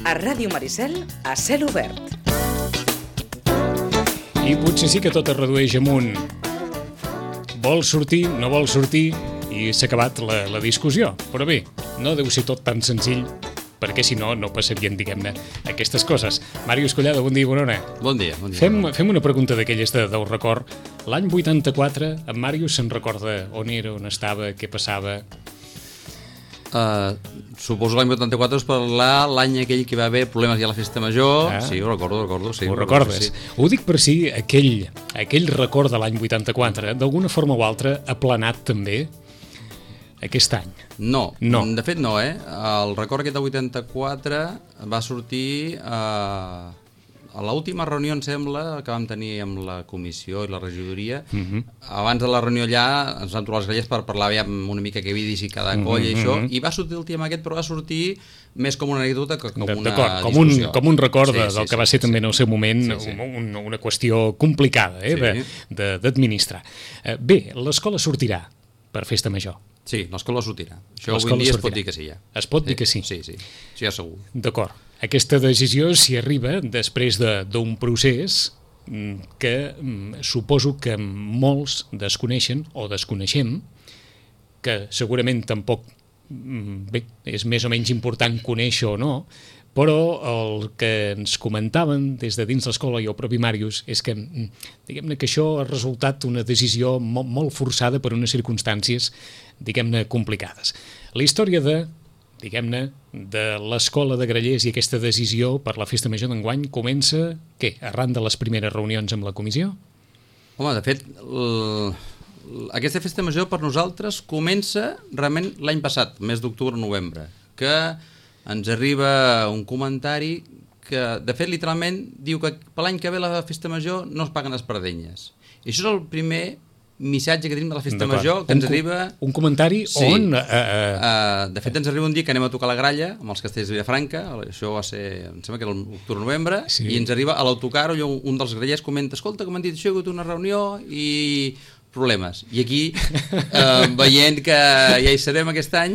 A Ràdio Maricel, a cel obert. I potser sí que tot es redueix amunt. Vol sortir, no vol sortir, i s'ha acabat la discussió. Però bé, no deu ser tot tan senzill, perquè si no, no passarien, diguem-ne, aquestes coses. Màrius Collado, bon dia i bona hora. Bon dia. Fem una pregunta d'aquelles del record. L'any 84, en Màrius se'n recorda on era, on estava, què passava? Suposo l'any 84 és parlar l'any aquell que hi va haver problemes ja a la festa major. Sí, ho recordo. Sí, ho recordes? Sí. Ho dic per si aquell record de l'any 84, d'alguna forma o altra, ha planat també aquest any. No, de fet no, El record aquest de 84 va sortir a l'última reunió, em sembla, que vam tenir amb la comissió i la regidoria. Abans de la reunió allà ens vam trobar les grelles per parlar una mica què havia dit cada colla i això, i va sortir el tema aquest, però va sortir més com una anècdota que com una discussió. Com un record del que va ser també en el seu moment una qüestió complicada d'administrar. Bé, l'escola sortirà per festa major. Sí, l'escola sortirà. Això avui en dia es pot dir que sí, ja. Es pot dir que sí? Sí, ja segur. D'acord. Aquesta decisió s'hi arriba després d'un procés que suposo que molts desconeixen o desconeixem, que segurament tampoc és més o menys important conèixer o no, però el que ens comentaven des de dins l'escola i el propi Màrius és que, diguem-ne, que això ha resultat una decisió molt forçada per unes circumstàncies, diguem-ne, complicades. La història de l'escola de Grallers i aquesta decisió per la festa major d'enguany comença, arran de les primeres reunions amb la comissió? Home, de fet, aquesta festa major per nosaltres comença realment l'any passat, mes d'octubre-novembre, que ens arriba un comentari que, de fet, literalment diu que per l'any que ve la festa major no es paguen espardenyes. I això és el primer missatge que tenim de la festa major, que ens arriba... Un comentari on... De fet, ens arriba un dia que anem a tocar la gralla amb els castells de Vilafranca, això va ser, em sembla que era l'octubre-novembre, i ens arriba a l'autocar, un dels grallers comenta: escolta, que m'han dit això, hi ha hagut una reunió i problemes. I aquí, veient que ja hi serem aquest any,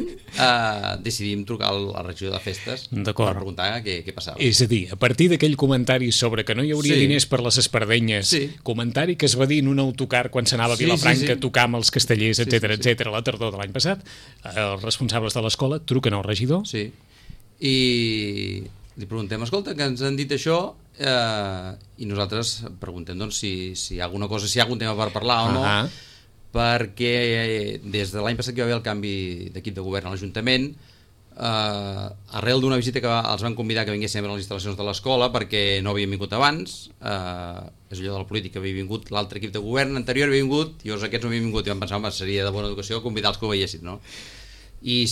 decidim trucar a la regió de festes per preguntar què passava. És a dir, a partir d'aquell comentari sobre que no hi hauria diners per les espardenyes, comentari que es va dir en un autocar quan s'anava a Vilafranca a tocar amb els castellers, etc., la tardor de l'any passat, els responsables de l'escola truquen al regidor. Sí, i li preguntem: escolta, que ens han dit això, i nosaltres preguntem doncs, si hi ha alguna cosa, si hi ha algun tema per parlar o no, perquè des de l'any passat que hi va haver el canvi d'equip de govern a l'Ajuntament, arrel d'una visita que els van convidar que vinguessin a veure les instal·lacions de l'escola, perquè no havien vingut abans, és allò de la política, havia vingut l'altre equip de govern anterior, havia vingut, i aquests no havien vingut, i vam pensar, home, seria de bona educació convidar els que ho veiessin, no? I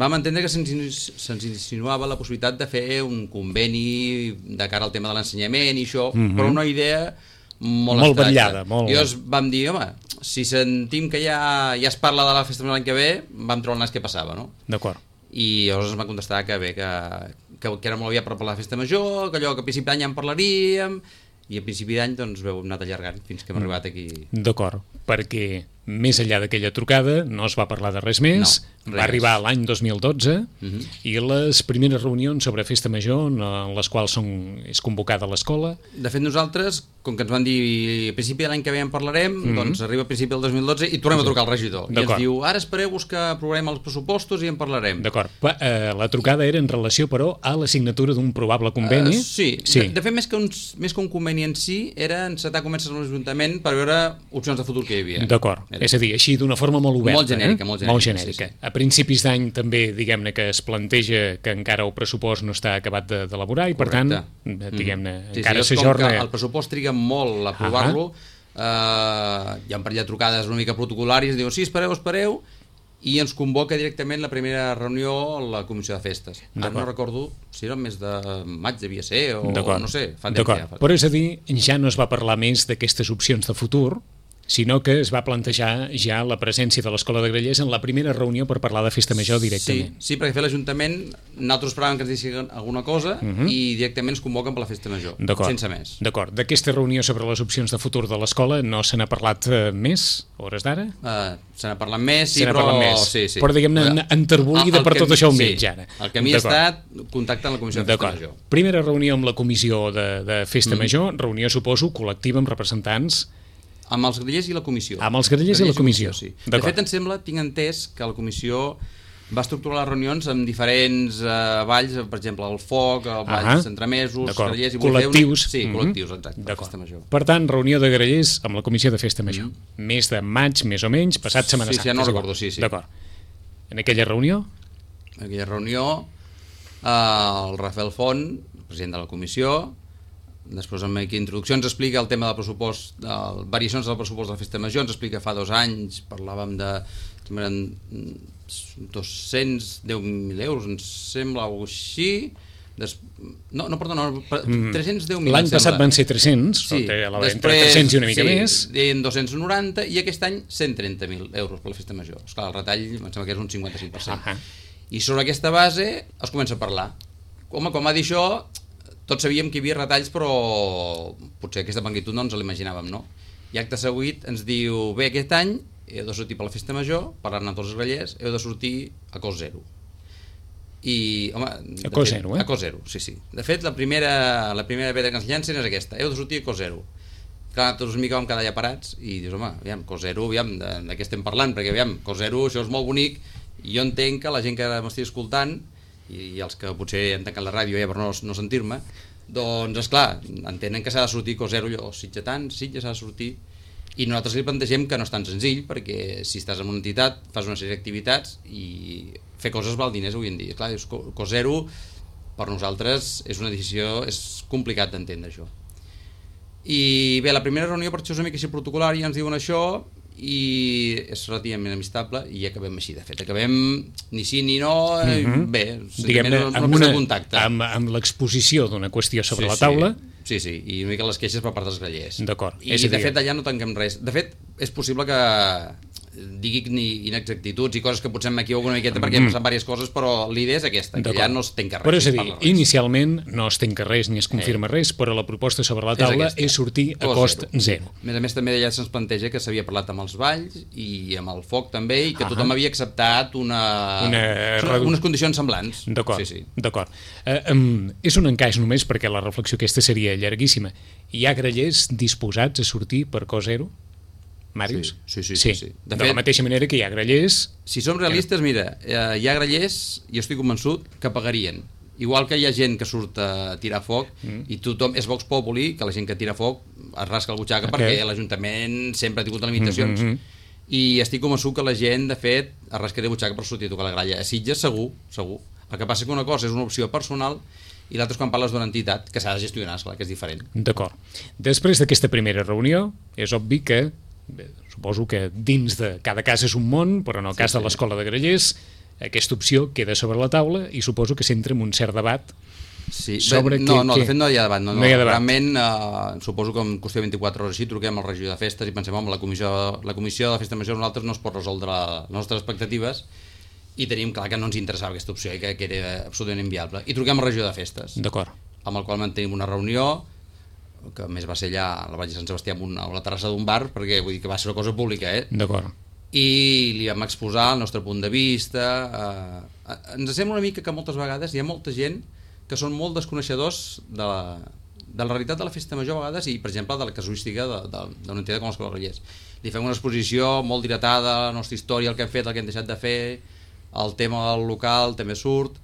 vam entendre que se'ns insinuava la possibilitat de fer un conveni de cara al tema de l'ensenyament i això, però una idea molt vetllada. I vam dir, home, si sentim que ja es parla de la festa l'any que ve, vam trobar el nas què passava, no? D'acord. I llavors ens va contestar que bé, que era molt aviat per parlar de la festa major, que allò que a principi d'any ja en parlaríem, i a principi d'any doncs ho hem anat allargant fins que hem arribat aquí. D'acord, perquè més enllà d'aquella trucada no es va parlar de res més, va arribar l'any 2012 i les primeres reunions sobre festa major en les quals és convocada l'escola. De fet, nosaltres, com que ens van dir a principi de l'any que ve en parlarem, doncs arriba a principi del 2012 i tornem a trucar al regidor. I ens diu: ara espereu-vos que aprovarem els pressupostos i en parlarem. D'acord. La trucada era en relació, però, a la signatura d'un probable conveni. Sí. De fet, més que un conveni en si, era encetar converses amb l'Ajuntament per veure opcions de futur que hi havia. D'acord. És a dir, així d'una forma molt oberta. Molt genèrica. A principis d'any també, diguem-ne, que es planteja que encara el pressupost no està acabat d'elaborar i, per tant, diguem-ne, encara s'ajorna. El pressupost triga molt a aprovar-lo, hi ha un parell de trucades una mica protocolàries, diuen: sí, espereu, i ens convoca directament la primera reunió a la comissió de festes. Ara no recordo si era el mes de maig, devia ser, o no sé, fa temps ja. Però és a dir, ja no es va parlar més d'aquestes opcions de futur, sinó que es va plantejar ja la presència de l'Escola de Grallers en la primera reunió per parlar de Festa Major directament. Sí, perquè l'Ajuntament, nosaltres esperàvem que ens diguessin alguna cosa i directament ens convoquen per la Festa Major, sense més. D'acord. D'aquesta reunió sobre les opcions de futur de l'escola no se n'ha parlat més, a hores d'ara? Se n'ha parlat més, sí, però... Sí. Però diguem-ne, enterbolida per tot això mig, ara. El camí ha estat contacte amb la Comissió de Festa Major. Primera reunió amb la Comissió de Festa Major, reunió, suposo, col·lectiva amb representants... Amb els grallers i la comissió. Amb els grallers i la comissió. Sí. De fet, em sembla, tinc entès que la comissió va estructurar les reunions amb diferents balls, per exemple, el foc, el ball d'entremesos, grallers... Col·lectius. Sí, col·lectius, exacte, de Festa Major. Per tant, reunió de grallers amb la comissió de Festa Major. Mes de maig, més o menys, passat Setmana Santa. Sí, no recordo, sí. D'acord. En aquella reunió? En aquella reunió, el Rafael Font, president de la comissió, després en aquesta introducció ens explica el tema del pressupost, variacions del pressupost de la Festa Major, ens explica fa 2 anys parlàvem de 210.000 euros, ens sembla, o així. Perdona, 310.000. L'any passat van ser 300, sí. Entre 300 i una mica més. Deien 290 i aquest any 130.000 euros per la Festa Major. Esclar, el retall em sembla que és un 55%. I sobre aquesta base es comença a parlar. Home, com va dir això, tots sabíem que hi havia retalls, però potser aquesta magnitud no ens l'imaginàvem, no? I acte seguit ens diu, bé, aquest any heu de sortir per la Festa Major, parlant amb tots els grallers, heu de sortir a cost zero. I, home... A cost zero, A cost zero, sí. De fet, la primera pedra que ens llancen és aquesta, heu de sortir a cost zero. Clar, tots una mica vam quedar allà parats i dius, home, aviam, cost zero, aviam, de què estem parlant? Perquè, aviam, cost zero, això és molt bonic, i jo entenc que la gent que m'estigui escoltant i els que potser han tancat la ràdio per no sentir-me, doncs esclar, entenen que s'ha de sortir cost zero, Sitges s'ha de sortir, i nosaltres li plantegem que no és tan senzill, perquè si estàs en una entitat fas una sèrie d'activitats i fer coses val diners avui en dia. Clar, cost zero per nosaltres és una decisió, és complicat d'entendre això. I bé, la primera reunió per això és una mica així protocolar i ens diuen això i és relativament amistable i acabem així, de fet, acabem ni sí ni no, bé, diguem-ne, amb l'exposició d'una qüestió sobre la taula. Sí, i una mica les queixes per part dels grallers. D'acord. I de fet allà no tanquem res. De fet, és possible que digui inexactituds i coses que potser m'equivoco una miqueta perquè han passat diverses coses, però l'idea és aquesta, que ja no es tanca res. Però és a dir, inicialment no es tanca res ni es confirma res, però la proposta sobre la taula és sortir a cost zero. A més també allà se'ns planteja que s'havia parlat amb els balls i amb el foc també, i que tothom havia acceptat unes condicions semblants. D'acord. És un encaix només perquè la reflexió aquesta seria llarguíssima. Hi ha grallers disposats a sortir per cost zero? Màrius? Sí. De la mateixa manera que hi ha grallers... Si som realistes, mira, hi ha grallers, i estic convençut, que pagarien. Igual que hi ha gent que surt a tirar foc, i tothom és Vox Populi, que la gent que tira foc es rasca el butxaca perquè l'Ajuntament sempre ha tingut limitacions. I estic convençut que la gent, de fet, es rascaria el butxaca per sortir a tocar la gralla. A Sitges, segur. El que passa que una cosa és una opció personal i l'altra és quan parles d'una entitat que s'ha de gestionar, esclar, que és diferent. D'acord. Després d'aquesta primera reunió, és obvi que suposo que dins de cada cas és un món, però en el cas de l'Escola de Grallers aquesta opció queda sobre la taula i suposo que s'entra en un cert debat sobre de fet no hi ha debat, realment suposo que en qüestió de 24 hores així truquem al regidor de festes i pensem, home, la comissió de la Festa Major nosaltres no es pot resoldre les nostres expectatives i tenim clar que no ens interessava aquesta opció i que era absolutament inviable, i truquem al regidor de festes, amb el qual mantenim una reunió que a més va ser allà a la Vall de Sant Sebastià a la terrassa d'un bar, perquè vull dir que va ser una cosa pública, D'acord. I li vam exposar el nostre punt de vista. Ens sembla una mica que moltes vegades hi ha molta gent que són molt desconeixedors de la realitat de la Festa Major a vegades i, per exemple, de la casuística d'una entitat com l'Escola de Grallers. Li fem una exposició molt dilatada, la nostra història, el que hem fet, el que hem deixat de fer, el tema del local també surt,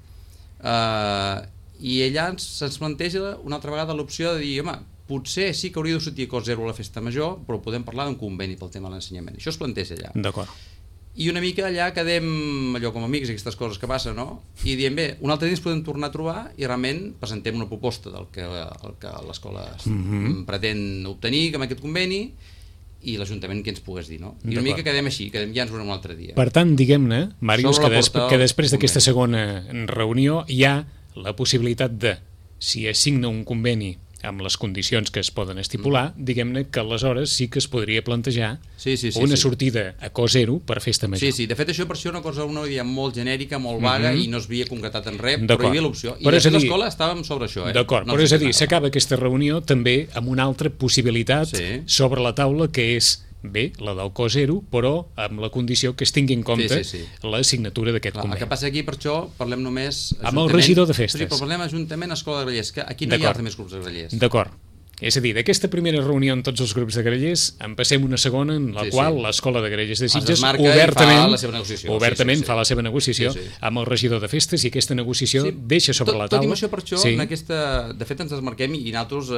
i allà se'ns planteja una altra vegada l'opció de dir, home, potser sí que hauria de sortir a cost zero a la Festa Major, però podem parlar d'un conveni pel tema de l'ensenyament. Això es planteja allà. D'acord. I una mica allà quedem allò com amics, aquestes coses que passen, no? I diem, bé, un altre dia ens podem tornar a trobar i realment presentem una proposta del que l'escola pretén obtenir amb aquest conveni i l'Ajuntament que ens pogués dir, no? I una mica quedem així, ja ens veurem un altre dia. Per tant, diguem-ne, Màrius, que després d'aquesta segona reunió hi ha la possibilitat de, si es signa un conveni amb les condicions que es poden estipular, diguem-ne que aleshores sí que es podria plantejar una sortida a cost zero per festa major. Sí, de fet això per això una cosa, una idea molt genèrica, molt vaga, i no es havia concretat en res, però hi havia l'opció. I de fet l'escola estàvem sobre això. D'acord, però és a dir, s'acaba aquesta reunió també amb una altra possibilitat sobre la taula, que és bé, la del cost zero, però amb la condició que es tingui en compte la signatura d'aquest conveni. El que passa aquí, per això, parlem només... Amb el regidor de festes. Sí, però parlem Ajuntament, Escola de Grallers, que aquí no hi ha els més grups de grallers. D'acord. És a dir, d'aquesta primera reunió amb tots els grups de grallers en passem una segona en la qual l'Escola de Grallers de Sitges obertament fa la seva negociació amb el regidor de festes, i aquesta negociació deixa sobre la taula... Tot i això, per això, de fet ens desmarquem i nosaltres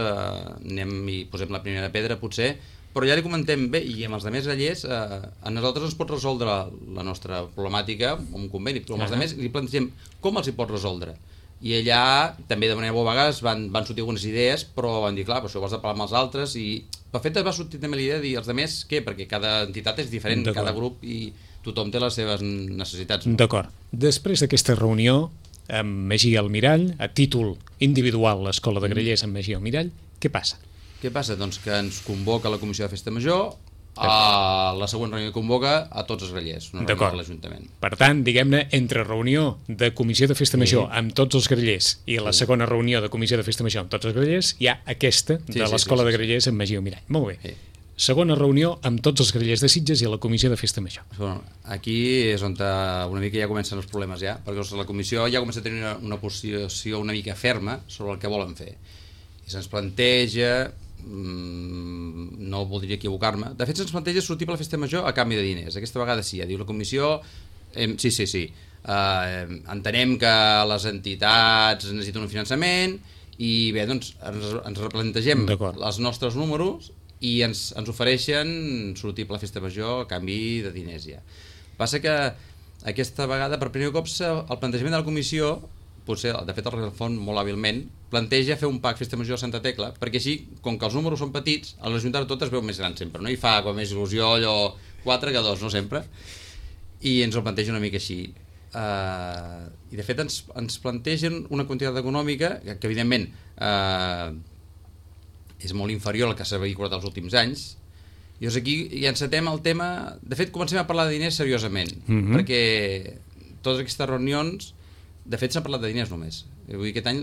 anem i posem la primera pedra, potser, però ja li comentem bé, i amb els altres grallers a nosaltres ens pot resoldre la nostra problemàtica amb un conveni, però amb els altres li plantegem com els hi pot resoldre. I allà també de manera molt vegades van sortir algunes idees, però van dir, clar, això ho has de parlar amb els altres, i per fet va sortir també l'idea de dir els altres què, perquè cada entitat és diferent, cada grup, i tothom té les seves necessitats. D'acord. Després d'aquesta reunió amb Magí Almirall, a títol individual l'Escola de Grallers amb Magí Almirall, què passa? Què passa? Doncs que ens convoca la Comissió de Festa Major, a la següent reunió que convoca a tots els grallers, una reunió de l'Ajuntament. Per tant, diguem-ne, entre reunió de Comissió de Festa Major amb tots els grallers i la segona reunió de Comissió de Festa Major amb tots els grallers, hi ha aquesta de l'Escola de Grallers amb Magí Almirall. Molt bé. Segona reunió amb tots els grallers de Sitges i la Comissió de Festa Major. Aquí és on una mica ja comencen els problemes, perquè la Comissió ja comença a tenir una posició una mica ferma sobre el que volen fer. I se'ns planteja, no voldria equivocar-me, de fet se'ns planteja sortir per la Festa Major a canvi de diners. Aquesta vegada sí, diu la Comissió, sí, entenem que les entitats necessiten un finançament, i bé, doncs ens replantegem els nostres números i ens ofereixen sortir per la Festa Major a canvi de diners ja. Passa que aquesta vegada per primer cop el plantejament de la Comissió, potser, de fet el Refont molt hàbilment, planteja fer un PAC Festa Major a Santa Tecla, perquè així, com que els números són petits, a l'Ajuntament tot es veu més gran sempre, no? I fa com més il·lusió allò 4 que 2, no sempre? I ens ho planteja una mica així. I de fet ens plantegen una quantitat econòmica que evidentment és molt inferior al que s'ha vehiculat els últims anys. I llavors aquí ja encetem el tema... De fet, comencem a parlar de diners seriosament, perquè totes aquestes reunions, de fet, s'ha parlat de diners només. Vull dir, aquest any,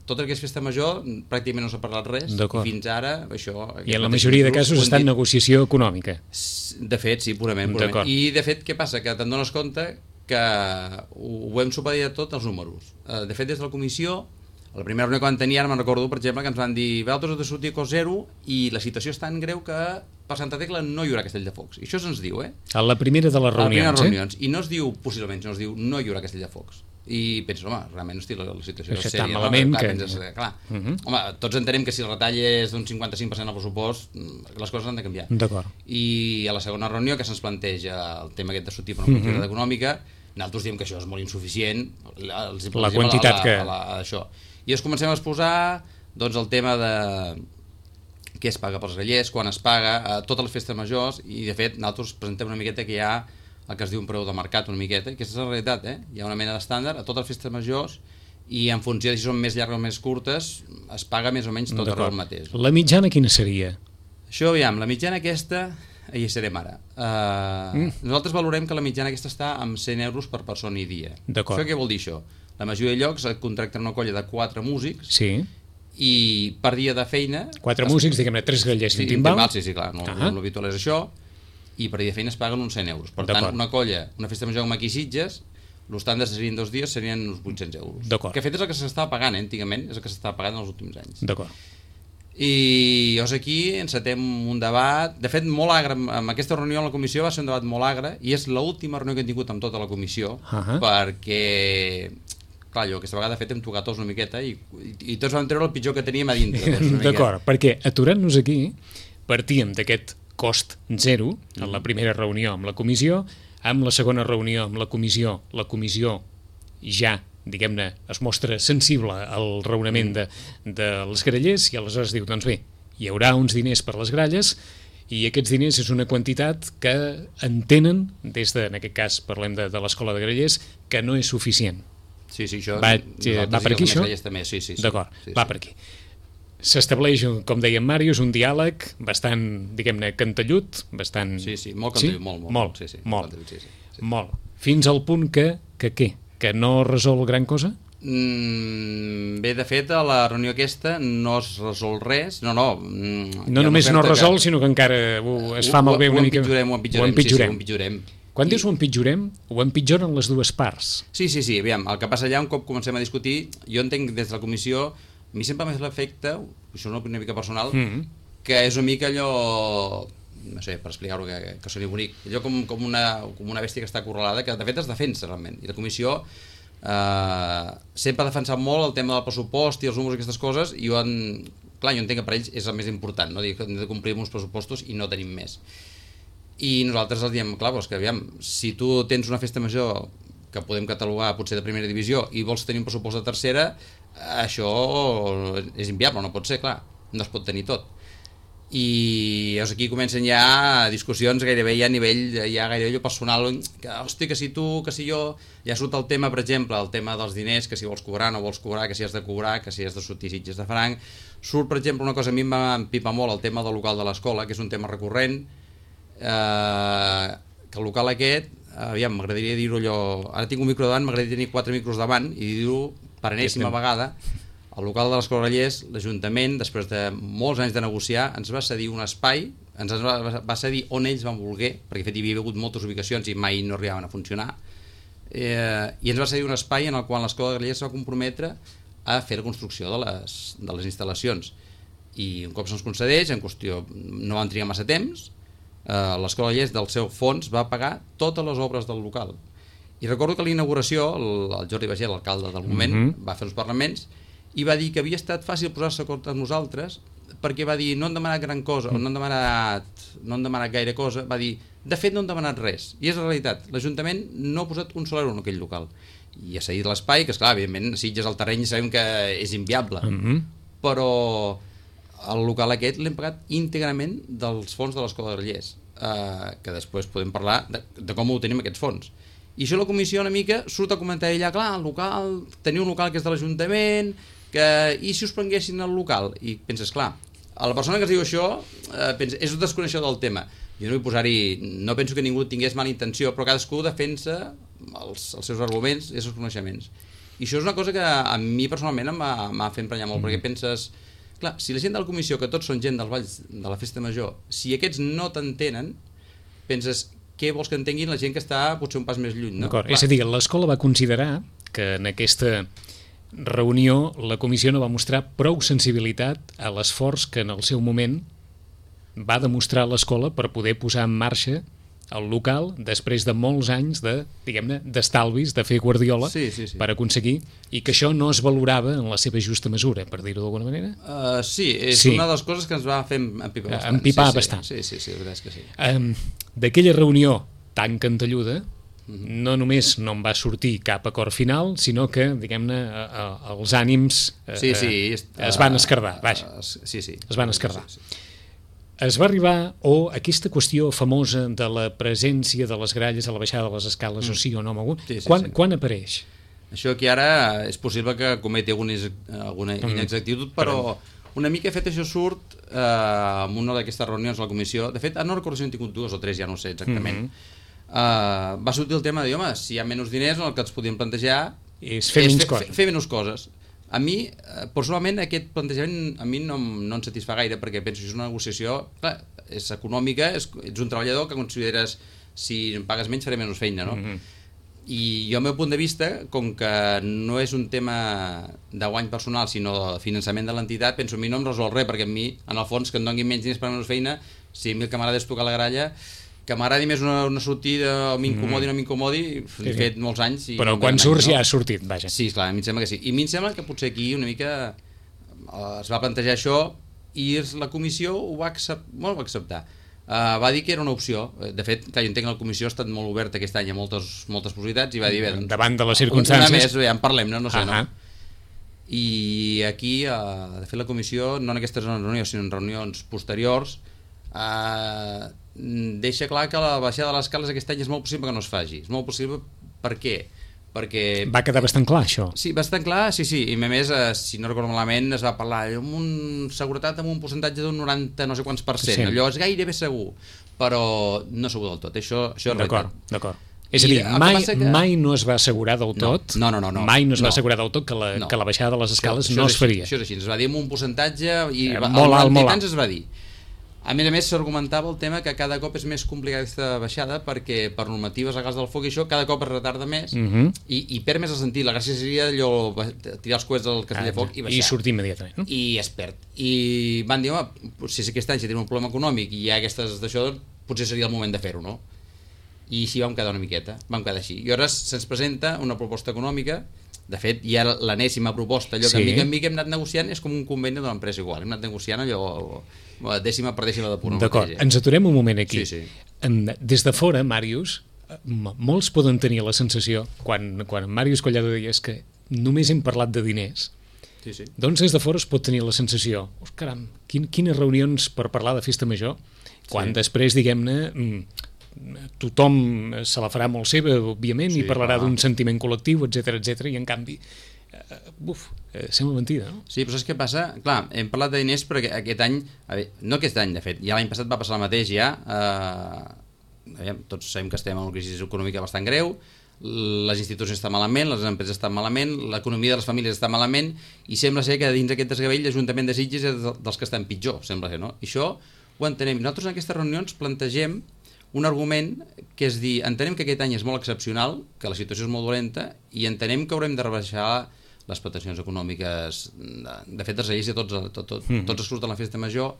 tot el que és Festa Major, pràcticament no s'ha parlat res, i fins ara, això... I en la majoria de casos està en negociació econòmica. De fet, sí, purament. I, de fet, què passa? Que te'n dones compte que ho hem supeditat tot als números. De fet, des de la Comissió, a la primera reunió que van tenir, ara me'n recordo, per exemple, que ens van dir vosaltres heu de sortir a cost zero i la situació és tan greu que per Santa Tecla no hi haurà Castell de Focs. I això se'ns diu, A la primera de les reunions, I no es diu possiblement, no es diu no hi haurà Castell de Focs. I penso, home, realment, hosti, la situació és sèria. Malament, clar. Home, tots entenem que si el retall és d'un 55% al pressupost, les coses han de canviar. D'acord. I a la segona reunió que se'ns planteja el tema aquest de sortir per una quantitat econòmica, nosaltres diem que això és molt insuficient, la quantitat que... Això. I ens comencem a exposar doncs, el tema de què es paga pels grallers, quan es paga, a totes les festes majors, i de fet nosaltres presentem una miqueta que hi ha el que es diu un preu de mercat una miqueta, que és la realitat, hi ha una mena d'estàndard a totes les festes majors i en funció de si són més llargues o més curtes es paga més o menys tot el mateix. La mitjana quina seria? Això, aviam, la mitjana aquesta hi serem ara. Nosaltres valorem que la mitjana aquesta està amb 100 euros per persona i dia. Això què vol dir això? La majoria de llocs et contracten una colla de 4 músics i per dia de feina... 4 músics, diguem-ne, 3 grallers i un timbal? Sí, clar, l'habitual és això, i per dia de feina es paguen uns 100 euros. Per tant, una colla, una festa major com aquí Sitges, l'estàndard serien 2 dies, serien uns 800 euros. Que fet és el que s'estava pagant, antigament, és el que s'estava pagant en els últims anys. I llavors aquí encetem un debat, de fet molt agre, amb aquesta reunió a la comissió va ser un debat molt agre, i és l'última reunió que hem tingut amb tota la comissió, perquè, clar, jo aquesta vegada de fet hem tocat tots una miqueta i tots vam treure el pitjor que teníem a dintre. D'acord, perquè aturant-nos aquí, partíem d'aquest cost zero en la primera reunió amb la comissió, amb la segona reunió amb la comissió ja, diguem-ne, es mostra sensible al raonament dels grallers i aleshores diu, doncs bé, hi haurà uns diners per les gralles i aquests diners és una quantitat que entenen, des de, en aquest cas parlem de l'Escola de Grallers, que no és suficient. Sí, això va per aquí això? Sí. D'acord, va per aquí. s'estableix, com deia en Màrius, un diàleg bastant, diguem-ne, cantellut, bastant... Sí, molt cantellut, molt. Molt. Fins al punt que què? Que no resol gran cosa? Bé, de fet, a la reunió aquesta no es resol res. No només no resol, sinó que encara es fa malbé una mica. Ho empitjorem. Quan dius ho empitjorem, ho empitjoren les dues parts. Sí, aviam, el que passa allà, un cop comencem a discutir, jo entenc des de la comissió, a mi sempre m'ha fet l'efecte, això és una mica personal, que és una mica allò, no sé, per explicar-ho que soni bonic, allò com una bèstia que està acorralada, que de fet es defensa realment, i la comissió sempre ha defensat molt el tema del pressupost i els números i aquestes coses, i jo entenc que per ells és el més important, no? Dir que hem de complir uns pressupostos i no tenim més. I nosaltres els diem, clar, que aviam, si tu tens una festa major que podem catalogar potser de primera divisió i vols tenir un pressupost de tercera, això és inviable, no pot ser, clar, no es pot tenir tot. I llavors aquí comencen ja discussions gairebé ja a nivell gairebé personal, que hosti, que si tu, que si jo, ja surt el tema, per exemple, el tema dels diners, que si vols cobrar, no vols cobrar, que si has de cobrar, que si has de sortir sitges de franc. Surt, per exemple, una cosa, a mi em va empipar molt, el tema del local de l'escola, que és un tema recurrent, que el local aquest, aviam, m'agradaria dir-ho allò, ara tinc un micro davant, m'agradaria tenir 4 micros davant i dir-ho per enèsima vegada. El local de l'Escola Grallers, l'Ajuntament, després de molts anys de negociar, ens va cedir un espai, ens va cedir on ells van voler, perquè de fet hi havia hagut moltes ubicacions i mai no arribaven a funcionar, i ens va cedir un espai en el qual l'Escola Grallers va comprometre a fer la construcció de les instal·lacions. I un cop se'ns concedeix, en qüestió no van trigar massa temps, l'Escola Grallers del seu fons va pagar totes les obres del local. I recordo que a la inauguració el Jordi Bagé, l'alcalde del moment, va fer uns parlaments i va dir que havia estat fàcil posar-se d'acord amb nosaltres, perquè va dir no han demanat gran cosa, no han demanat gaire cosa, va dir de fet no han demanat res, i és la realitat, l'Ajuntament no ha posat un sol euro en aquell local i ha cedit l'espai, que esclar, evidentment Sitges el terreny sabem que és inviable, però el local aquest l'hem pagat íntegrament dels fons de l'Escola de Grallers, que després podem parlar de com ho tenim aquests fons. I això la comissió una mica surt a comentar allà, clar, el local, teniu un local que és de l'Ajuntament, i si us prenguessin el local? I penses, clar, a la persona que es diu això és un desconeixedor del tema. Jo no vull posar-hi, no penso que ningú tingués mala intenció, però cadascú defensa els seus arguments i els seus coneixements. I això és una cosa que a mi personalment m'ha fet emprenyar molt, perquè penses, clar, si la gent de la comissió, que tots són gent dels balls de la festa major, si aquests no t'entenen, penses, què vols que entenguin la gent que està potser un pas més lluny, no? D'acord, és a dir, l'escola va considerar que en aquesta reunió la comissió no va mostrar prou sensibilitat a l'esforç que en el seu moment va demostrar l'escola per poder posar en marxa el local després de molts anys de, diguem-ne, d'estalvis, de fer guardiola per aconseguir, i que això no es valorava en la seva justa mesura, per dir-ho d'alguna manera? Sí, és una de les coses que ens va fer empipar bastant. Sí, la veritat és que sí. D'aquella reunió tan cantelluda, no només no en va sortir cap acord final, sinó que, diguem-ne, els ànims es van esquerdar, vaja. Es van esquerdar. Es va arribar, o aquesta qüestió famosa de la presència de les gralles a la baixada de les escales, o sí o no, quan apareix? Això aquí ara és possible que cometi alguna inexactitud, però una mica fet això surt en una d'aquestes reunions a la comissió. De fet, no recordo si n'hem tingut 2 o 3, ja no sé exactament. Va sortir el tema de dir, home, si hi ha menys diners, el que ens podíem plantejar és fer menys coses. A mi, personalment, aquest plantejament a mi no em satisfà gaire, perquè penso que és una negociació, clar, és econòmica, ets un treballador que consideres si em pagues menys faré menys feina, no? I jo, al meu punt de vista, com que no és un tema de guany personal, sinó de finançament de l'entitat, penso a mi no em resol res, perquè a mi, en el fons, que em donin menys diners per menys feina, si a mi el que m'agrada és tocar la gralla, que m'agradi més una sortida o m'incomodi o no m'incomodi, he fet molts anys. Però quan surts ja ha sortit, vaja. Sí, clar, a mi em sembla que sí. I a mi em sembla que potser aquí una mica es va plantejar això i la comissió ho va acceptar. Va dir que era una opció. De fet, clar, jo entenc que la comissió ha estat molt oberta aquest any a moltes possibilitats i va dir, bé, doncs, davant de les circumstàncies... Una més, ja en parlem, no sé, no? I aquí, de fet, la comissió, no en aquestes reunions, sinó en reunions posteriors, deixa clar que la baixada de les escales aquest any és molt possible que no es faci. És molt possible, per què? perquè... Va quedar bastant clar, això. Sí, bastant clar, sí, i a més, si no recordo malament, es va parlar amb seguretat amb un percentatge d'un 90 no sé quants %, sí. Allò és gairebé segur, però no segur del tot, això és realitat. D'acord. És a dir, mai no es va assegurar del tot, no. Mai no es va assegurar del tot que la baixada de les escales no es faria. Això és així, es va dir amb un percentatge i molt alt. Es va dir. A més, s'argumentava el tema que cada cop és més complicada aquesta baixada perquè per normatives legals del foc i això cada cop es retarda més i perd més el sentit. La gràcia seria allò tirar els coets del castell de foc i baixar. I sortir immediatament. No? I es perd. I van dir, home, si aquest any si tenim un problema econòmic i hi ha aquestes d'això, potser seria el moment de fer-ho, no? I així vam quedar una miqueta, vam quedar així. I ara se'ns presenta una proposta econòmica. De fet, hi ha l'enèsima proposta, allò que mica en mica hem anat negociant, és com un conveni d'una empresa igual, hem anat negociant allò dècima per dècima de punt. D'acord, ens aturem un moment aquí. Sí. Des de fora, Màrius, molts poden tenir la sensació, quan Màrius Collado deia que només hem parlat de diners, doncs des de fora es pot tenir la sensació, caram, quines reunions per parlar de festa major, quan després, diguem-ne, tothom se la farà molt seva, òbviament, i parlarà d'un sentiment col·lectiu, etc, i en canvi sembla mentida, no? Sí, però saps què passa? Clar, hem parlat de diners perquè aquest any, no aquest any de fet, ja l'any passat va passar el mateix ja, tots sabem que estem en una crisi econòmica bastant greu, les institucions estan malament, les empreses estan malament, l'economia de les famílies està malament i sembla ser que dins aquest desgavell l'Ajuntament de Sitges és dels que estan pitjor, sembla ser, no? I això ho entenem. Nosaltres en aquestes reunions plantegem un argument que és dir, entenem que aquest any és molt excepcional, que la situació és molt dolenta i entenem que haurem de rebaixar les pretensions econòmiques de fet dels lleis de tots els grups de la festa major,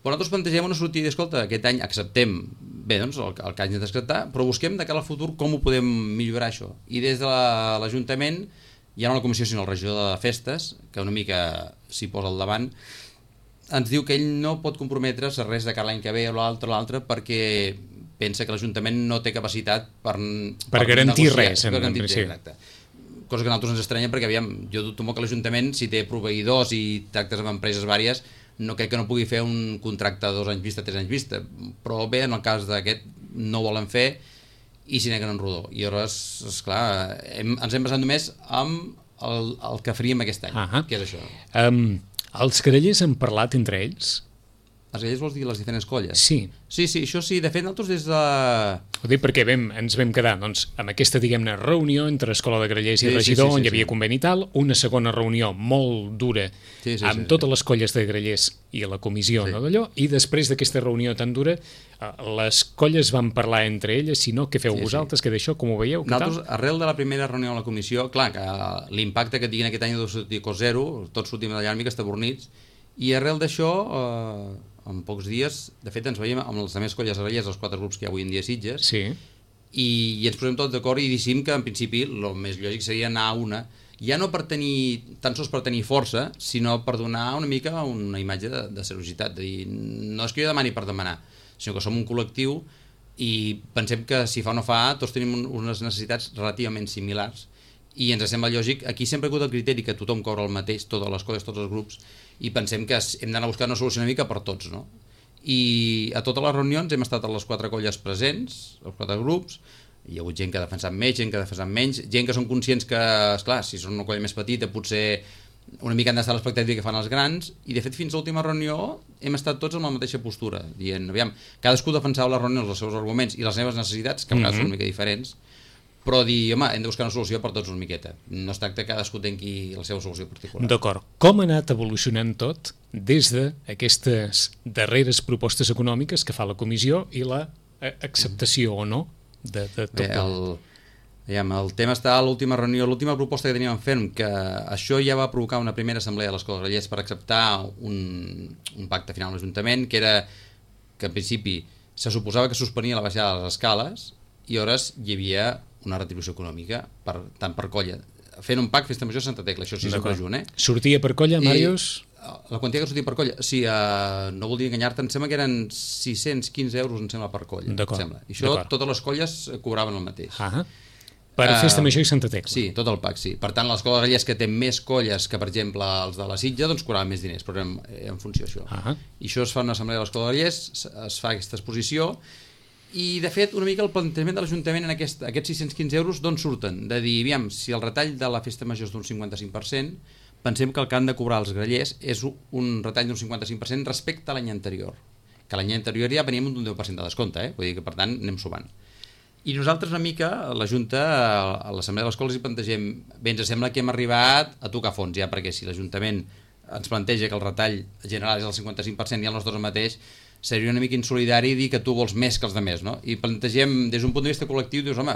però nosaltres plantegem una sortida, escolta, aquest any acceptem bé, doncs, el que hagin d'acceptar, però busquem de cara al futur com ho podem millorar això, i des de l'Ajuntament ja no la comissió sinó el regidor de festes, que una mica s'hi posa al davant, ens diu que ell no pot comprometre's a res de cara l'any que ve o l'altre perquè pensa que l'Ajuntament no té capacitat per garantir negociar, res. Per garantir res, exacte. Cosa que a nosaltres ens estranya perquè, aviam, jo dubto molt que l'Ajuntament, si té proveïdors i tractes amb empreses vàries, no crec que no pugui fer un contracte a 2 anys vista, 3 anys vista, però bé, en el cas d'aquest no ho volen fer i s'hi neguen en rodó. I llavors, esclar, ens hem basat només amb el que faríem aquest any, que és això. Els grellers han parlat entre ells? Els grellers vols dir les diferents colles? Sí. Sí, això sí. De fet, nosaltres des de... Ho dic perquè ens vam quedar amb aquesta, diguem-ne, reunió entre Escola de Grellers i Regidor, on hi havia conveni i tal, una segona reunió molt dura amb totes les colles de grellers i la comissió d'allò, i després d'aquesta reunió tan dura, les colles van parlar entre elles, si no, què feu vosaltres, què d'això, com ho veieu? Nosaltres, arrel de la primera reunió a la comissió, clar, que l'impacte que tinguin aquest any de sortir cos zero, tots sortim d'allà una mica estabornits, i arrel d'això, en pocs dies, de fet ens veiem amb les altres colles grellers, els 4 grups que hi ha avui en dia a Sitges, i ens posem tots d'acord i decidim que en principi el més lògic seria anar a una, ja no per tenir, tan sols per tenir força, sinó per donar una mica una imatge de seriositat, de dir, no és que jo demani per demanar, sinó que som un col·lectiu i pensem que si fa o no fa, tots tenim unes necessitats relativament similars i ens sembla lògic, aquí sempre ha hagut el criteri que tothom cobra el mateix, totes les colles, tots els grups, i pensem que hem d'anar a buscar una solució una mica per tots, no? I a totes les reunions hem estat a les 4 colles presents, els 4 grups, hi ha hagut gent que ha defensat més, gent que ha defensat menys, gent que són conscients que, esclar, si són una colla més petita potser una mica han d'estar a l'expectativa que fan els grans, i de fet fins a l'última reunió hem estat tots amb la mateixa postura, dient, aviam, cadascú defensava les reunions els seus arguments i les seves necessitats, que a vegades són una mica diferents, però dir, home, hem de buscar una solució per tots una miqueta. No es tracta que cadascú tingui la seva solució particular. D'acord. Com ha anat evolucionant tot des d'aquestes darreres propostes econòmiques que fa la comissió i la acceptació o no de tot? El tema està a l'última reunió, l'última proposta que teníem fent, que això ja va provocar una primera assemblea de l'Escola de Grellers per acceptar un pacte final amb l'Ajuntament, que era que en principi se suposava que suspenia la baixada de les escales i hores hi havia una retribució econòmica, tant per colla. Fent un pack Festa Major Santa Tecla, això sí sempre junt, Sortia per colla, Màrius? La quantitat que sortia per colla, sí, no voldria enganyar-te, em sembla que eren 615 euros, em sembla, per colla. I això totes les colles cobraven el mateix. Per Festa Major i Santa Tecla. Sí, tot el pack, sí. Per tant, l'Escola de Grellers, que té més colles que, per exemple, els de la Sitja, doncs cobraven més diners, però en funció d'això. I això es fa una assemblea de l'Escola de Grellers, es fa aquesta exposició, I, de fet, una mica el plantejament de l'Ajuntament en aquests 615 euros d'on surten? De dir, aviam, si el retall de la festa major és d'un 55%, pensem que el que han de cobrar els grallers és un retall d'un 55% respecte a l'any anterior. Que l'any anterior ja veníem d'un 10% de descompte, vull dir que, per tant, anem sumant. I nosaltres, una mica, a la Junta, a l'Assemblea de l'Escola, hi plantegem, bé, ens sembla que hem arribat a tocar fons, ja, perquè si l'Ajuntament ens planteja que el retall general és el 55% i el nostre mateix, seria una mica insolidari dir que tu vols més que els altres, no? I plantegem, des d'un punt de vista col·lectiu, dius, home,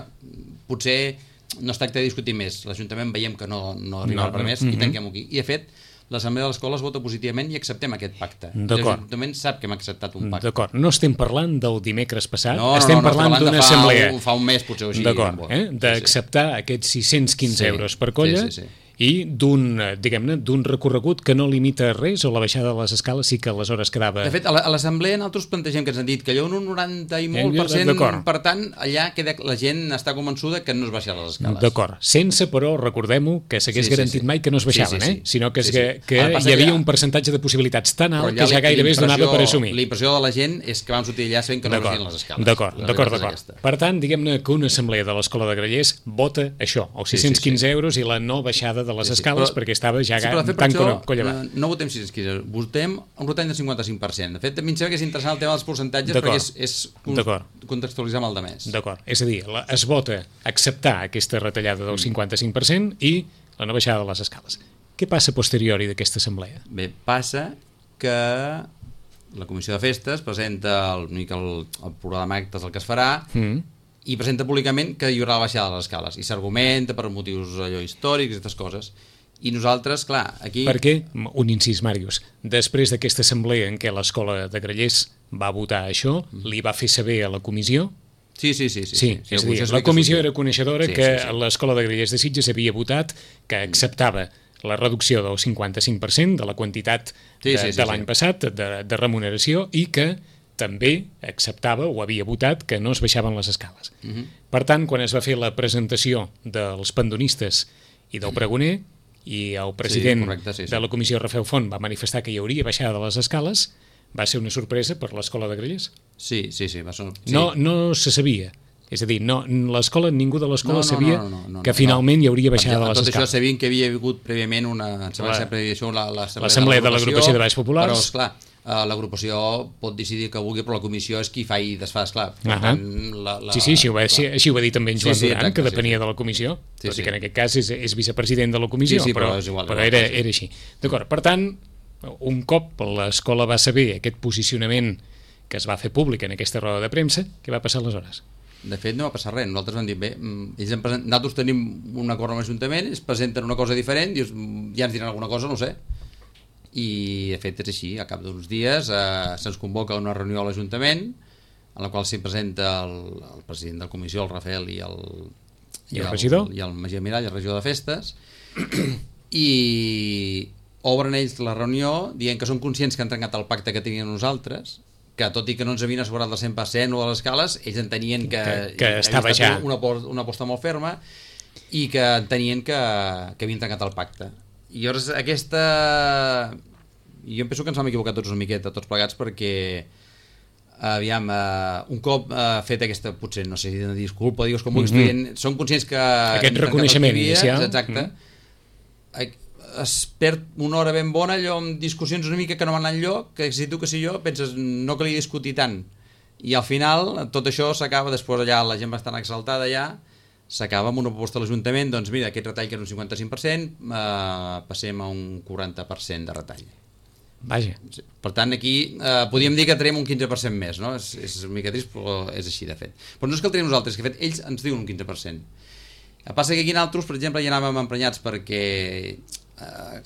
potser no es tracta de discutir més, l'Ajuntament veiem que no arriba per més i tanquem-ho aquí. I, de fet, l'Assemblea de l'Escola es vota positivament i acceptem aquest pacte. L'Ajuntament sap que hem acceptat un pacte. D'acord, no estem parlant del dimecres passat, estem parlant d'una assemblea. Fa un mes, potser, així. D'acord, d'acceptar aquests 615 euros per colla, i d'un recorregut que no limita res, o la baixada de les escales sí que aleshores quedava... De fet, a l'assemblea nosaltres plantegem que ens han dit que allò un 90 i molt %, per tant, allà queda, la gent està convençuda que no es baixarà les escales. D'acord, sense, però, recordem-ho, que s'hagués garantit mai que no es baixaven, sinó que hi havia un percentatge de possibilitats tan alt que ja gairebé es donava per assumir. La impressió de la gent és que vam sortir allà sabent que no es baixarien les escales. D'acord. Per tant, diguem-ne que una assemblea de l'Escola de Grallers vota això, els 615 euros i la no baixada de les escales, perquè estava ja tan collevat. No votem 615, votem un retall del 55%. De fet, a mi em sembla que és interessant el tema dels percentatges perquè és contextualitzar amb el de més. D'acord, és a dir, es vota acceptar aquesta retallada del 55% i la no baixada de les escales. Què passa posteriori d'aquesta assemblea? Bé, passa que la Comissió de Festes presenta el programa d'actes el que es farà i presenta públicament que hi haurà la baixada de les escales i s'argumenta per motius històrics i aquestes coses. I nosaltres, clar, aquí... Perquè, un incís, Màrius, després d'aquesta assemblea en què l'Escola de Grallers va votar això, li va fer saber a la comissió... Sí. És a dir, la comissió era coneixedora que l'Escola de Grallers de Sitges havia votat que acceptava la reducció del 55% de la quantitat de l'any passat de remuneració i que també acceptava o havia votat que no es baixaven les escales. Per tant, quan es va fer la presentació dels pandonistes i del pregoner i el president de la comissió, Rafael Font, va manifestar que hi hauria baixada de les escales, va ser una sorpresa per l'Escola de Grallers. Sí. No se sabia. És a dir, ningú de l'escola sabia que finalment hi hauria baixada de les escales. Tot això sabien que havia hagut prèviament l'Assemblea de l'Agrupació de Baix Populars. Però, esclar, l'agrupació pot decidir que vulgui, però la comissió és qui fa i desfà, esclar. Sí, així ho va dir també en Joan Duran, que depenia de la comissió, tot i que en aquest cas és vicepresident de la comissió, però era així. D'acord, per tant, un cop l'escola va saber aquest posicionament que es va fer públic en aquesta roda de premsa, què va passar aleshores? De fet, no va passar res. Nosaltres vam dir, bé, nosaltres tenim un acord amb l'Ajuntament, es presenten una cosa diferent, dius, ja ens diran alguna cosa, no sé. I, de fet, és així. A cap d'uns dies se'ns convoca una reunió a l'Ajuntament, en la qual s'hi presenta el president de la comissió, el Rafael, i el regidor? I el Magí Mirall, el regidor de festes, i obren ells la reunió dient que són conscients que han trencat el pacte que tenien nosaltres, que tot i que no ens havien assegurat el 100% o a les escales, ells entenien que estava ja una aposta molt ferma i que entenien que havien trencat el pacte. I llavors jo penso que ens vam equivocar tots una miqueta, tots plegats, perquè aviam, un cop fet aquesta, potser no sé si una disculpa, digues com vulguis, són conscients que aquest reconeixement inicial, exacte, es perd una hora ben bona allò amb discussions una mica que no van enlloc, que si tu que si jo penses no calia discutir tant, i al final tot això s'acaba, després allà la gent va estar exaltada ja, s'acaba amb una proposta de l'Ajuntament, doncs mira, aquest retall que era un 55%, passem a un 40% de retall. Vaja. Per tant, aquí podríem dir que traiem un 15% més, no? És una mica trist, però és així, de fet. Però no és que el traiem nosaltres, que de fet ells ens diuen un 15%. El passa que aquí nosaltres, per exemple, ja anàvem emprenyats perquè...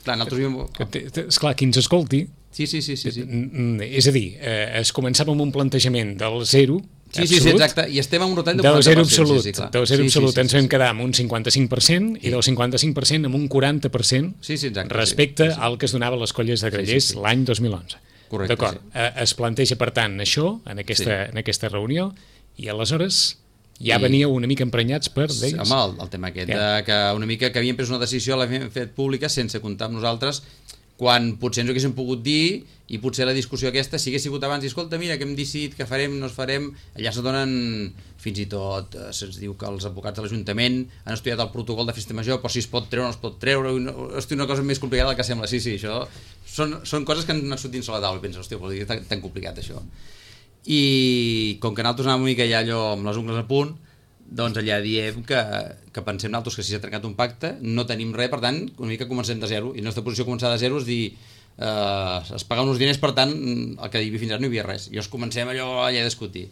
clar, nosaltres... Esclar, qui ens escolti... Sí. És a dir, es començava amb un plantejament del zero... Sí, exacte, i estem en un retall de 40%. Del zero absolut, del zero absolut ens vam quedar amb un 55% i del 55% amb un 40% respecte al que es donava a les colles de Grallers l'any 2011. Correcte. D'acord, es planteja per tant això en aquesta reunió i aleshores ja veníeu una mica emprenyats per d'ells. Home, el tema aquest, que una mica que havien pres una decisió, l'havien fet pública sense comptar amb nosaltres, quan potser ens ho haguéssim pogut dir i potser la discussió aquesta, si hagués sigut abans i escolta, mira, que hem decidit que farem, no es farem, allà se donen, fins i tot se'ns diu que els advocats de l'Ajuntament han estudiat el protocol de festa major, però si es pot treure o no es pot treure, hosti, una cosa més complicada del que sembla. Sí, això són coses que han anat sortint sobre la taula i penses, hòstia, però és tan complicat això. I com que nosaltres anàvem una mica ja allò amb les ungles a punt, doncs allà diem que pensem nosaltres que si s'ha trencat un pacte no tenim res, per tant una mica comencem de zero, i la nostra posició començar de zero és dir es paguen uns diners, per tant el que hi havia fins ara no hi havia res, i llavors comencem allà a discutir,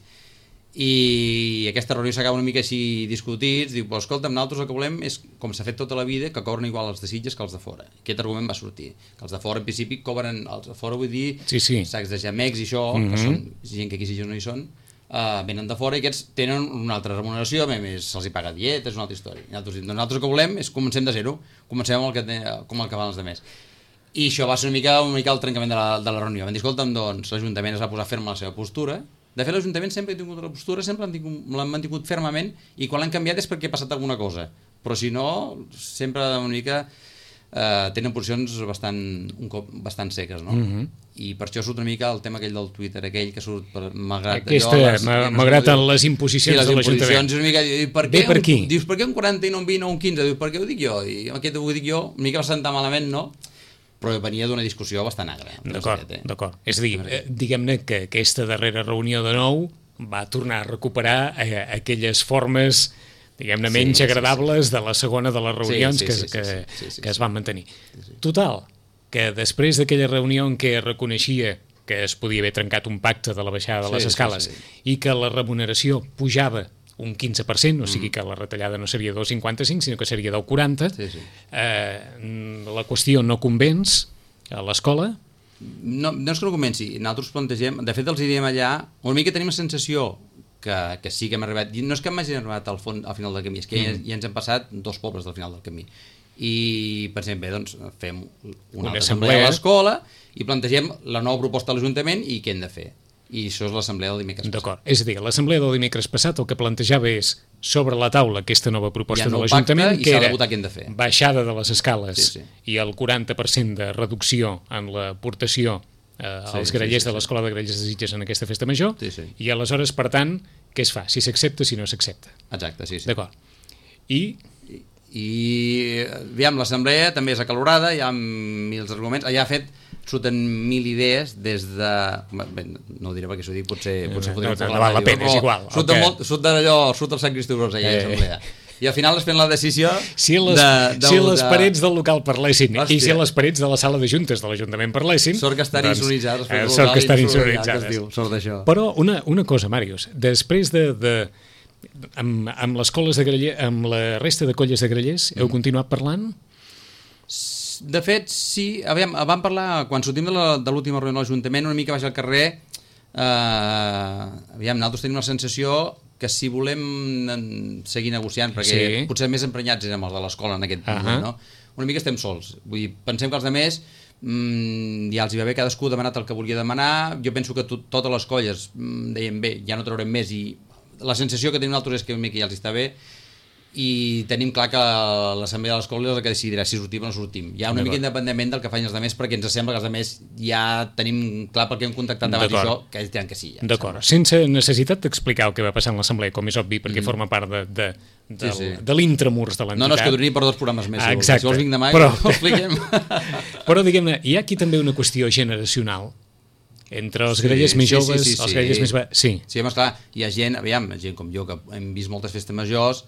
i aquesta reunió s'acaba una mica així discutits, diu, però escolta, nosaltres el que volem és, com s'ha fet tota la vida, que cobren igual els de Sitges que els de fora. Aquest argument va sortir, que els de fora en principi cobren, els de fora vull dir sacs de gemecs i això, que són gent que aquí Sitges no hi són, venen de fora i aquests tenen una altra remuneració, a més se'ls hi paga dietes, una altra història. Nosaltres el que volem és comencem de zero, comencem amb com el que van els altres. I això va ser una mica el trencament de la reunió. Vam dir, escolta'm, doncs l'Ajuntament es va posar ferm a la seva postura. De fet, l'Ajuntament sempre ha tingut la postura, sempre l'han mantingut fermament, i quan l'han canviat és perquè ha passat alguna cosa. Però si no, sempre una mica tenen posicions bastant seques, no? I per això surt una mica el tema aquell del Twitter, aquell que surt malgrat les imposicions de l'Ajuntament. És una mica, per què? Dius, per què un 40 i no un 20 o un 15? Dius, per què ho dic jo? I aquest ho dic jo, una mica va sentar malament, no? Però venia d'una discussió bastant agra. D'acord. És a dir, diguem-ne que aquesta darrera reunió de nou va tornar a recuperar aquelles formes, diguem-ne, menys agradables de la segona de les reunions que es van mantenir. Total, que després d'aquella reunió en què reconeixia que es podia haver trencat un pacte de la baixada de les escales i que la remuneració pujava un 15%, o sigui que la retallada no seria del 55, sinó que seria del 40, la qüestió no convenç a l'escola? No és que no convenci, nosaltres plantegem, de fet els hi diem allà, una mica tenim la sensació que sí que hem arribat, no és que m'hagin arribat al final del camí, és que ja ens hem passat 2 pobles del final del camí, i pensem, bé, doncs fem una altra assemblea a l'escola i plantegem la nova proposta a l'Ajuntament i què hem de fer. I això és l'assemblea del dimecres passat. D'acord, és a dir, l'assemblea del dimecres passat el que plantejava és sobre la taula aquesta nova proposta de l'Ajuntament, que era baixada de les escales i el 40% de reducció en l'aportació als grellers de l'Escola de Grellers de Sitges en aquesta festa major, i aleshores, per tant, què es fa? Si s'accepta, si no s'accepta. Exacte, sí. D'acord. I aviam, l'assemblea també és acalorada, hi ha 1.000 arguments, allà ha fet surten 1.000 idees des de... Bé, no ho diré perquè s'ho dic, potser no val la pena, és igual. Surt el Sant Cristobros allà a l'assemblea. I al final es fent la decisió si les parets del local parlessin i si les parets de la sala de juntes de l'Ajuntament parlessin, sort que estan insonoritzades, sort que estan insonoritzades. Sort d'això. Però una cosa, Màrius, després amb les colles de grellers, amb la resta de colles de grellers, heu continuat parlant? De fet, sí. Vam parlar, quan sortim de l'última reunió de l'Ajuntament, una mica baix al carrer, nosaltres tenim la sensació que si volem seguir negociant, perquè potser més emprenyats érem els de l'escola en aquest moment, no? Una mica estem sols. Vull dir, pensem que els altres ja els hi va bé, cadascú ha demanat el que volia demanar. Jo penso que totes les colles deien, bé, ja no traurem més, i la sensació que tenim nosaltres és que una mica ja els està bé, i tenim clar que l'assemblea de l'escola és el que decidirà si sortim o no sortim. Hi ha una mica independentment del que facin els altres, perquè ens sembla que els altres ja tenim clar perquè hem contactat abans això, que ells diran que sí. D'acord, sense necessitat d'explicar el que va passar en l'assemblea, com és obvi, perquè forma part de l'intramurs de l'entitat. No, és que duraria per 2 programes més. Exacte. Si vols vinc demà i ho expliquem. Però, diguem-ne, hi ha aquí també una qüestió generacional entre els grellers més joves, els grellers més... Sí, home, esclar, hi ha gent com jo, que hem vist moltes festes majors,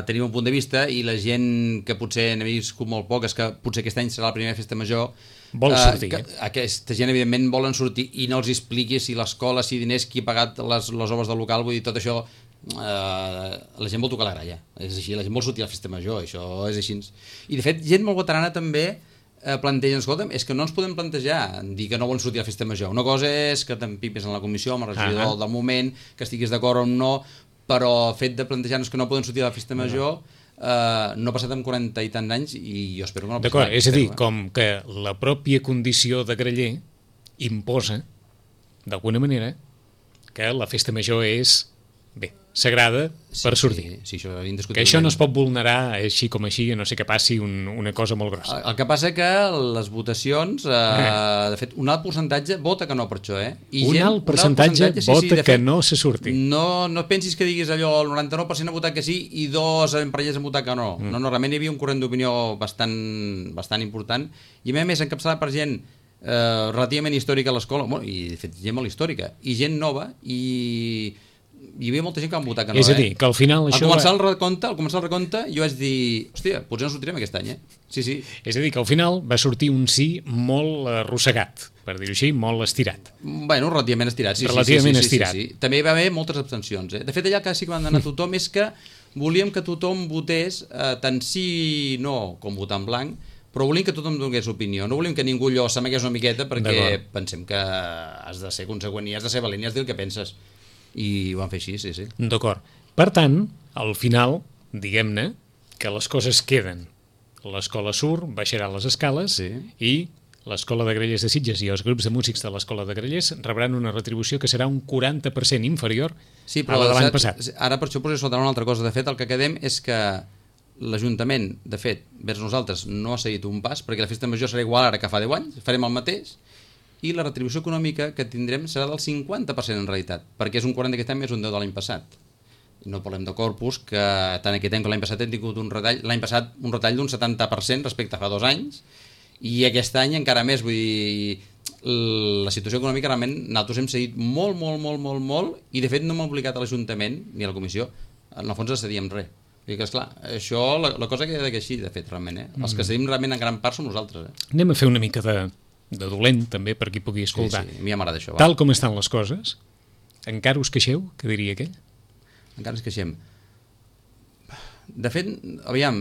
tenim un punt de vista, i la gent que potser n'ha viscut molt poc, és que potser aquest any serà la primera festa major, vol sortir. Aquesta gent evidentment volen sortir, i no els expliqui si l'escola, si diners, qui ha pagat les obres del local, vull dir, tot això, la gent vol tocar la gralla, és així, la gent vol sortir a la festa major, això és així. I de fet, gent molt veterana també plantegen, escolta'm, és que no ens podem plantejar dir que no volen sortir a la festa major. Una cosa és que t'empipes en la comissió amb el regidor del moment, que estiguis d'acord o no, però el fet de plantejar-nos que no poden sortir a la festa major no ha passat amb 40 i tants anys, i jo espero que no passi. D'acord, és a dir, com que la pròpia condició de greller imposa, d'alguna manera, que la festa major és, bé, sagrada per sortir. Sí, això indiscutiblement. Que això no es pot vulnerar així com així, a no sé que passi una cosa molt grossa. El que passa que les votacions, de fet, un alt percentatge vota que no per això, Un alt percentatge vota que no se surti. No pensis que diguis allò, el 99% ha votat que sí i 2 emprenyats han votat que no. No, realment hi havia un corrent d'opinió bastant important, i a més encapçalat per gent relativament històrica a l'escola, i de fet gent molt històrica, i gent nova, i hi havia molta gent que van votar que no. És a dir, que al final això... Al començar el recompte, jo vaig dir, hòstia, potser no sortirem aquest any, Sí. És a dir, que al final va sortir un sí molt arrossegat, per dir-ho així, molt estirat. Bueno, relativament estirat, sí. Relativament estirat. Sí. També hi va haver moltes abstencions. De fet, allà que sí que van anar a tothom és que volíem que tothom votés tant sí, no, com votar en blanc, però volíem que tothom donés opinió. No volíem que ningú allò s'amagués una miqueta perquè pensem que has de ser conseqüent i has de ser valent i has de dir el que penses. I ho van fer així, sí. D'acord. Per tant, al final, diguem-ne, que les coses queden. L'escola surt, baixarà les escales i l'Escola de Grallers de Sitges i els grups de músics de l'Escola de Grallers rebran una retribució que serà un 40% inferior a la de l'any passat. Ara per això poso sota una altra cosa. De fet, el que quedem és que l'Ajuntament, de fet, vers nosaltres no ha seguit un pas, perquè la festa major serà igual ara que fa 10 anys, farem el mateix, i la retribució econòmica que tindrem serà del 50% en realitat, perquè és un 40 aquest any més un 10 de l'any passat. I no parlem de Corpus, que tant aquest any com l'any passat hem tingut un retall, l'any passat un retall d'un 70% respecte a fa 2 anys, i aquest any encara més, vull dir, la situació econòmica realment nosaltres hem seguit molt, i de fet no m'ha obligat a l'Ajuntament ni a la comissió, en el fons a cedir amb res. Vull dir que, esclar, això, la cosa queda que així, de fet, realment, Els que cedim realment en gran part som nosaltres, Anem a fer una mica de dolent, també, per qui pugui escoltar. Sí, a mi m'agrada això. Tal com estan les coses, encara us queixeu, que diria aquell? Encara ens queixem. De fet, aviam,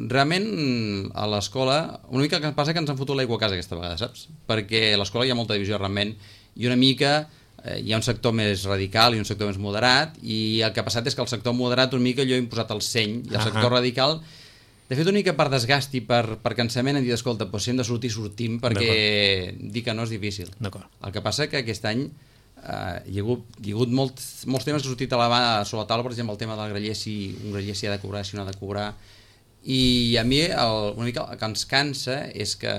realment a l'escola, una mica que passa que ens han fotut l'aigua a casa aquesta vegada, saps? Perquè a l'escola hi ha molta divisió realment, i una mica hi ha un sector més radical i un sector més moderat, i el que ha passat és que el sector moderat una mica allò ha imposat el seny, i el sector radical... De fet, una mica per desgast i per cansament hem dit, escolta, si hem de sortir, sortim, perquè dir que no és difícil. El que passa que aquest any hi ha hagut molts temes que han sortit sobre la taula, per exemple, el tema del graller, si un graller s'hi ha de cobrar, si no ha de cobrar, i a mi una mica el que ens cansa és que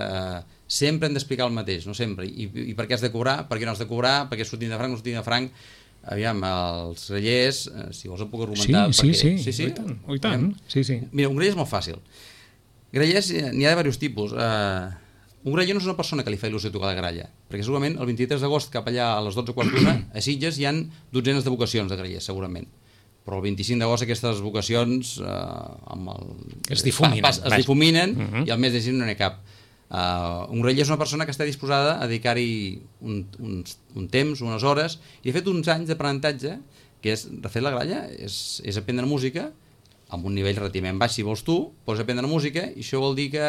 sempre hem d'explicar el mateix, no sempre, i per què has de cobrar, per què no has de cobrar, per què sortim de franc, no sortim de franc. Aviam, els grallers, si vols em puc argumentar... Sí, i tant. Mira, un graller és molt fàcil. Grallers n'hi ha de diversos tipus. Un graller no és una persona que li fa il·lusió tocar la gralla, perquè segurament el 23 d'agost cap allà a les 12:15 a Sitges hi han dotzenes de vocacions de grallers, segurament. Però el 25 d'agost aquestes vocacions es difuminen i al mes de gener no n'hi ha cap. Un graller és una persona que està disposada a dedicar-hi un temps, unes hores, i de fet uns anys d'aprenentatge, que és refer la gralla, és aprendre música amb un nivell relativament baix si vols tu, pots aprendre música, i això vol dir que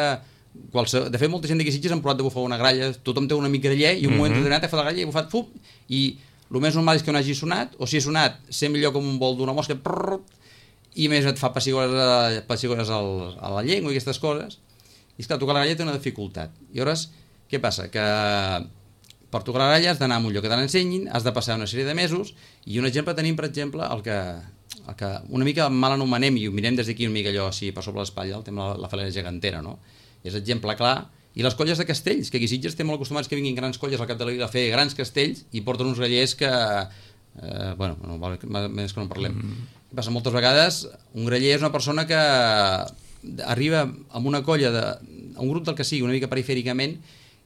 de fet molta gent d'aquí Sitges han provat de bufar una gralla, tothom té un amic graller i un moment determinat ha fet la gralla i ha bufat i el més normal és que no hagi sonat, o si ha sonat ser millor com un vol d'una mosca, i més et fa pessigores a la llengua i aquestes coses. I esclar, tocar la gralla té una dificultat. I llavors, què passa? Que per tocar la gralla has d'anar a un lloc que te l'ensenyin, has de passar una sèrie de mesos, i un exemple tenim, per exemple, el que una mica mal anomenem, i ho mirem des d'aquí una mica allò així per sobre l'espatlla, el tema de la falera gegantera, no? És exemple clar. I les colles de castells, que aquí Sitges té molt acostumats que vinguin grans colles al cap de la vila a fer grans castells i porten uns grallers que... bueno, més que no en parlem. Què passa? Moltes vegades un graller és una persona que arriba amb una colla un grup del que sigui, una mica perifèricament,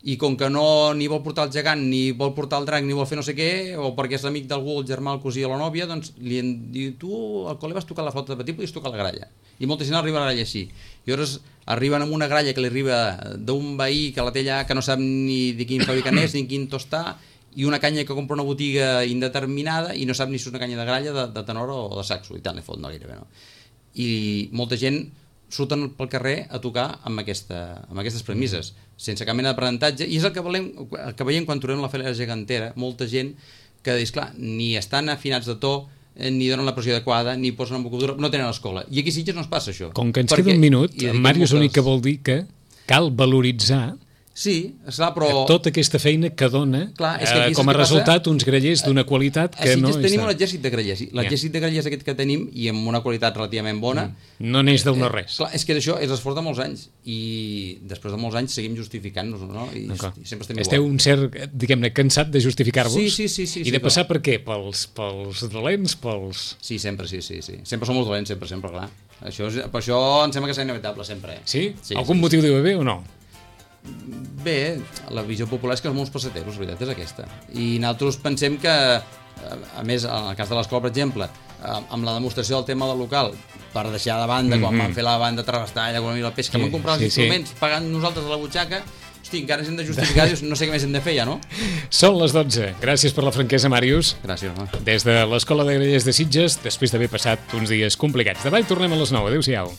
i com que no ni vol portar el gegant, ni vol portar el drac, ni vol fer no sé què, o perquè és l'amic d'algú, el germà, el cosí o la nòvia, doncs li diu, tu al col·le vas tocar la flauta de petit, podies tocar la gralla. I molta gent arriba a la gralla així. I llavors arriben amb una gralla que li arriba d'un veí que la té allà, que no sap ni de quin fabricant és, ni quin tostar, i una canya que compra una botiga indeterminada i no sap ni si és una canya de gralla, de tenor o de saxo, i tant li fot, no gairebé, no? I molta gent surten pel carrer a tocar amb aquestes premisses, sense cap mena d'aprenentatge, i és el que veiem quan trobem la falera gegantera, molta gent que, esclar, ni estan afinats de to, ni donen la pressió adequada, ni posen en vocabulari, no tenen l'escola. I aquí a Sitges no es passa això. Com que ens queda un minut, en Màrius l'únic que vol dir que cal valoritzar Sí, esclar, però... Tota aquesta feina que dona com a resultat uns grellers d'una qualitat que no... Així tenim un exèrcit de grellers. L'exèrcit de grellers aquest que tenim, i amb una qualitat relativament bona... No n'és del no res. Clar, és que això és l'esforç de molts anys, i després de molts anys seguim justificant-nos, no? I sempre estem igual. Esteu un cert, diguem-ne, cansat de justificar-vos? Sí. I de passar per què? Pels dolents, pels... Sí, sempre, sí. Sempre som els dolents, sempre, clar. Per això em sembla que serà inevitable, sempre. Sí? Algun motiu deu haver o no? Bé, la visió popular és que som uns passateros, la veritat és aquesta. I nosaltres pensem que, a més, en el cas de l'escola, per exemple, amb la demostració del tema del local, per deixar de banda, quan van fer la banda Travestalla, quan van pesca, vam comprar els instruments pagant nosaltres a la butxaca, hosti, encara ens hem de justificar, no sé què més hem de fer ja, no? Són les 12. Gràcies per la franquesa, Màrius. Gràcies, home. Des de l'Escola de Grellers de Sitges, després d'haver passat uns dies complicats. Demà hi tornem a les 9. Adéu-siau.